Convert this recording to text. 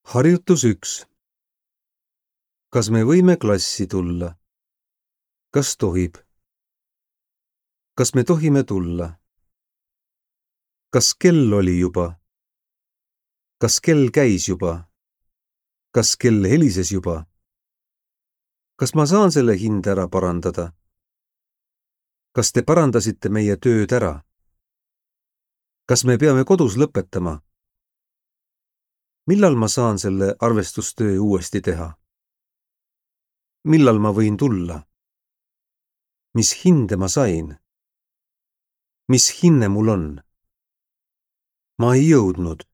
Harjutus 1. Kas me võime klassi tulla? Kas tohib? Kas me tohime tulla? Kas kell oli juba? Kas kell käis juba? Kas kell helises juba? Kas ma saan selle hinde ära parandada? Kas te parandasite meie tööd ära? Kas me peame kodus lõpetama? Millal ma saan selle arvestustöö uuesti teha? Millal ma võin tulla? Mis hinde ma sain? Mis hinne mul on? Ma ei jõudnud.